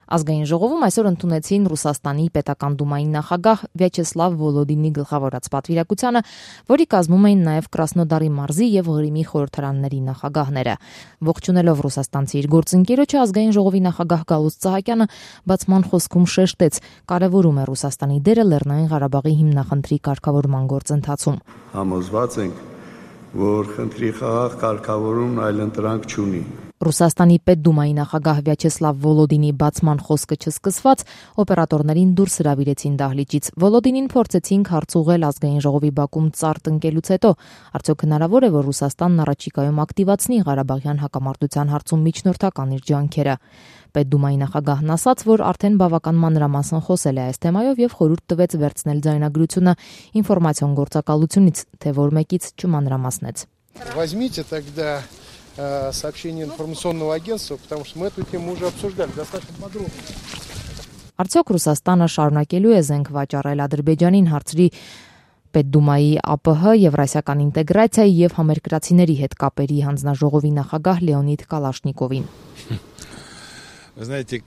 Ազգային ժողովում այսօր ընդունեցին Ռուսաստանի պետական դումայի նախագահ Վյաչեսլավ Վոլոդինի գլխավորած պատվիրակությանը, որի կազմում էին նաև Կրասնոդարի մարզի եւ Ղրիմի խորհրդարանների նախագահները։ Ողջունելով ռուսաստանցի իր գործընկերոջը, ազգային ժողովի նախագահ Գալուստ Սահակյանը բացման խոսքում շեշտեց, կարևորում է Ռուսաստանի դերը Լեռնային Ղարաբաղի հիմնախնդրի կարգավորման գործընթացում։ Համոզված ենք, որ խնդրի խաղաղ կարգավորումն այլընտրանք չունի։ Ռուսաստանի պետդումայի նախագահ Վյաչեսլավ Վոլոդինի բացման խոսքը չսկսված, օպերատորներին դուրս հրավիրեցին դահլիճից։ Վոլոդինին փորձեցին հարց ուղղել ազգային ժողովի բակում ծառ տնկելուց հետո, արդյոք հնարավոր է, որ Ռուսաստանն առաջիկայում ակտիվացնի Ղարաբաղյան հակամարտության հարցում միջնորդական իր ջանքերը։ Պետդումայի նախագահն ասաց, որ արդեն բավական մանրամասն խոսել է այս թեմայով եւ խորհուրդ տվեց վերցնել ձայնագրությունը ինֆորմացիոն գործակալությունից, թե որ մեկից չմանրամասնեց։ Возьмите тогда сообщение информационного агентства, потому что мы эту тему уже обсуждали достаточно подробно. Արդյոք Ռուսաստանը շարունակելու է զենք վաճառել Ադրբեջանին, հարցրի Պետդումայի ԱՊՀ, Եվրասիական ինտեգրացիայի եւ համերկրացիների հետ կապերի հանձնաժողովի նախագահ Լեոնիդ Կալաշնիկովին։ Вы знаете,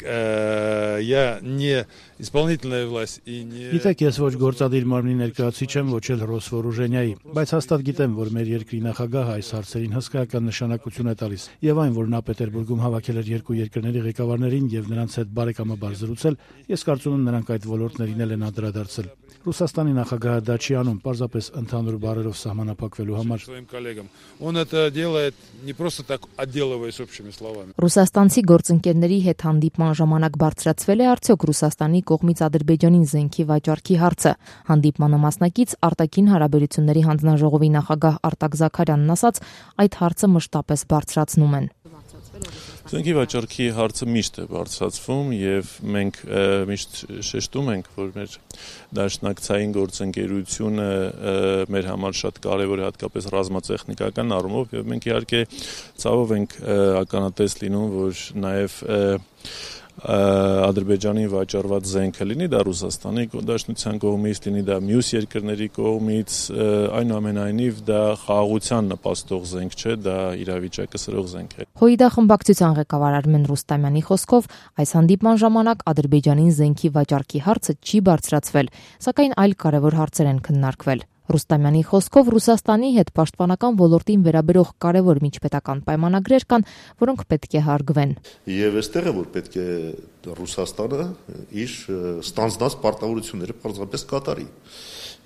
я не исполнительная власть и не... Գիտեք, ես ոչ գործադիր մարմնի ներկայացուցիչ եմ, ոչ էլ Ռոսվորուժենիայի, բայց հաստատ գիտեմ, որ մեր երկրի նախագահը այս հարցերին հսկայական նշանակություն է տալիս։ Եվ այն, որ նա Պետերբուրգում հավաքել էր երկու երկրների ղեկավարներին եւ նրանց հետ բարեկամաբար զրուցել, ես կարծում եմ նրանք այդ ոլորտներին էլ են անդրադարձել։ Ռուսաստանի նախագահը դա չի անում, պարզապես ընդհանուր բառերով սահմանափակվելու համար։ Он это делает не просто так, отделываясь общими словами. Ռուսաստանցի գործընկերների հետ հանդիպման ժամանակ բարձրացվել է արդյոք Ռուսաստանի կողմից Ադրբեջանին զենքի վաճառքի հարցը։ Հանդիպմանը մասնակից արտաքին հարաբերությունների հանձնաժողովի նախագահ Արտակ Զաքարյանն ասաց, այդ հարցը մշտապես բարձրացնում են։ Զենքի վաճառքի հարցը միշտ է բարձրացվում եւ մենք միշտ շեշտում ենք, որ մեր դաշնակցային գործընկերությունը մեր համար շատ կարեւոր է, հատկապես ռազմատեխնիկական առումով եւ մենք իհարկե ցավով ենք ականատես լինում, որ նաեւ Ադրբեջանի վաճառված զենքը լինի դա Ռուսաստանի Դաշնության կողմից, լինի դա մյուս երկրների կողմից, այնուամենայնիվ դա խաղաղության նպաստող զենք չէ, դա իրավիճակը սրող զենք է։ Հույդա խմբակցության ղեկավար Արմեն Ռուստամյանի խոսքով, այս հանդիպման ժամանակ Ադրբեջանին զենքի վաճառքի հարցը չի բարձրացվել, սակայն այլ կարևոր հարցեր են քննարկվել։ Ռուստամյանի խոսքով Ռուսաստանի հետ պաշտպանական ոլորտին վերաբերող կարևոր միջպետական պայմանագրեր կան, որոնք պետք է հարգվեն։ Եվ այստեղ է, որ պետք է Ռուսաստանը իր ստանձնած պարտավորությունները պարզապես կատարի։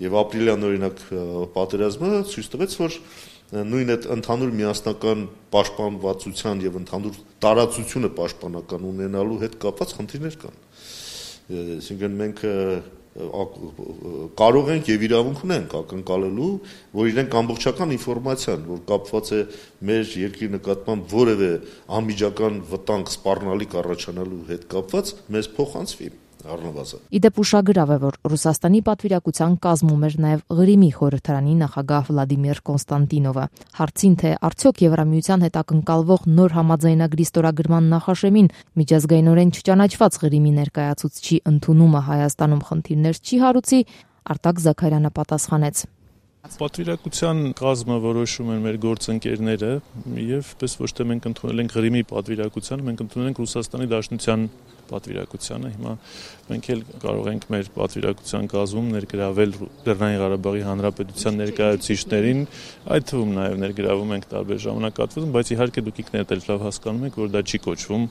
Եվ ապրիլյան օրինակ պատերազմը ցույց տվեց, որ նույն այդ ընդհանուր միասնական պաշտպանվածության եւ ընդհանուր տարածությունը պաշտպանական ունենալու հետ կապված խնդիրներ կան։ Այսինքն մենք կարող ենք եւ իրավունք ունենք ակնկալելու, որ իրենք ամբողջական ինֆորմացիան, որ կապված է մեր երկրի նկատմամբ որևէ անմիջական վտանգ սպառնալիք առաջանալու հետ կապված, մեզ փոխանցվի առնվազն։ Իդեպ ուշագրավ է, որ Ռուսաստանի պատվիրակության կազմում էր նաև Ղրիմի խորհրդարանի նախագահ Վլադիմիր Կոնստանտինովը։ Հարցին, թե արդյոք Եվրամիության հետ ակնկալվող նոր համաձայնագրի ստորագրման նախաշեմին միջազգայինորեն չճանաչված Ղրիմի ներկայացուցչի ընդունումը Հայաստանում խնդիրներ չի հարուցի, Արտակ Զաքարյանը պատասխանեց. Պատվիրակության կազմը որոշում են մեր գործընկերները եւ պես ոչ թե մենք ընդունել ենք Ղրիմի պատվիրակությանը, մենք ընդունել ենք Ռուսաստանի Դաշնության պատվիրակությանը։ Հիմա մենք էլ կարող ենք մեր պատվիրակության կազմում ներգրավել Լեռնային Ղարաբաղի Հանրապետության ներկայացուցիչներին, այդ թվում նաև ներգրավում ենք տարբեր ժամանակահատվածում, բայց իհարկե դուք ինքներդ էլ լավ հասկանում եք, որ դա չի կոչվում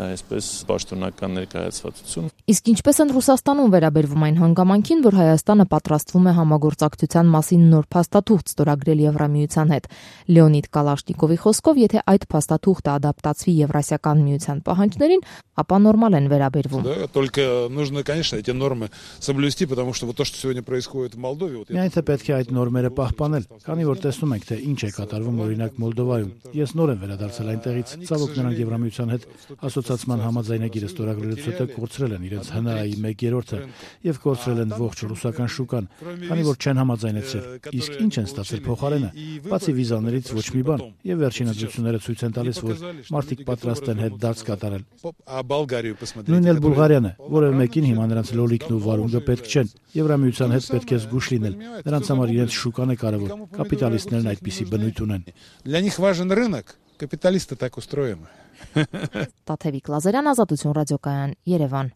այսպես պաշտոնական ներկայացվածություն։ Իսկ ինչպես են Ռուսաստանում վերաբերվում այն հանգամանքին, որ Հայաստանը պատրաստվում է համագործակցության մասին նոր փաստաթուղթ ստորագրել Եվրամիության հետ։ Լեոնիդ Կալաշնիկովի խոսքով, եթե այդ փաստաթուղթը ադապտացվի Եվրասիական միության պահանջներին, ապա նորմալ են վերաբերվում։ Только нужно, конечно, эти нормы соблюсти, потому что вот то, что сегодня происходит в Молдове, вот Միայն թե պետք է այդ նորմերը պահպանել, քանի որ տեսնում ենք, թե ինչ է կատարվում օրինակ Մոլդովայում։ Ես նոր եմ վերադարձել այնտեղից, ցավոք նրանք Եվրամիության հետ ասոցիացիան համաձայնագիրը ստորագրելուց հետո կորցրել են իրենց ՀՆԱ-ի 1/3-ը եւ կորցրել են ողջ ռուսական շուկան, քանի որ չեն համաձայնեցրել։ Իսկ ինչ են ստացել փոխարենը, բացի վիզաներից ոչ մի բան։ Եվ վերջին ազդեցությունները ցույց են տալիս, որ մարդիկ պատրաստ են հետ դարձ կատարել։ Նույնն էլ Բուլղարիան է, որևէ մեկին հիմա նրանց լոլիկն ու վարունգը պետք չեն։ Եվրամիության հետ պետք է զգուշ լինել։ Նրանց համար իրենց շուկան է կարևոր։ Կապիտալիստներն այդպիսի բնույթ ունեն։ Для них важен рынок. Կապիտալիսты так устроены. Տաթևիկ Լազարյան, Ազատություն ռադիոկայան, Երևան։